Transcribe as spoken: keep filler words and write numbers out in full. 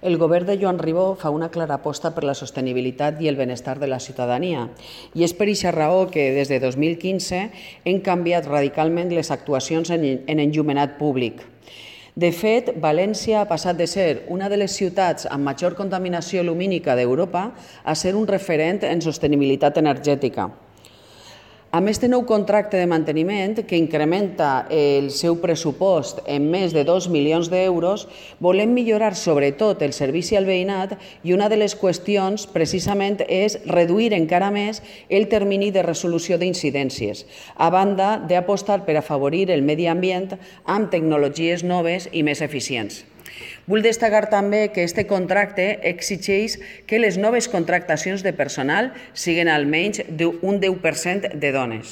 El govern de Joan Ribó fa una clara aposta per la sostenibilitat i el benestar de la ciutadania i és per aquesta raó que des de dos mil quinze hem canviat radicalment les actuacions en enllumenat públic. De fet, València ha passat de ser una de les ciutats amb major contaminació lumínica d'Europa a ser un referent en sostenibilitat energètica. Amb este nou contracte de manteniment, que incrementa el seu pressupost en més de dos milions d'euros, volem millorar sobretot el servici al veïnat i una de les qüestions precisament és reduir encara més el termini de resolució d'incidències, a banda d'apostar per afavorir el medi ambient amb tecnologies noves i més eficients. Vull destacar també que aquest contracte exigeix que les noves contractacions de personal siguin almenys un deu per cent de dones.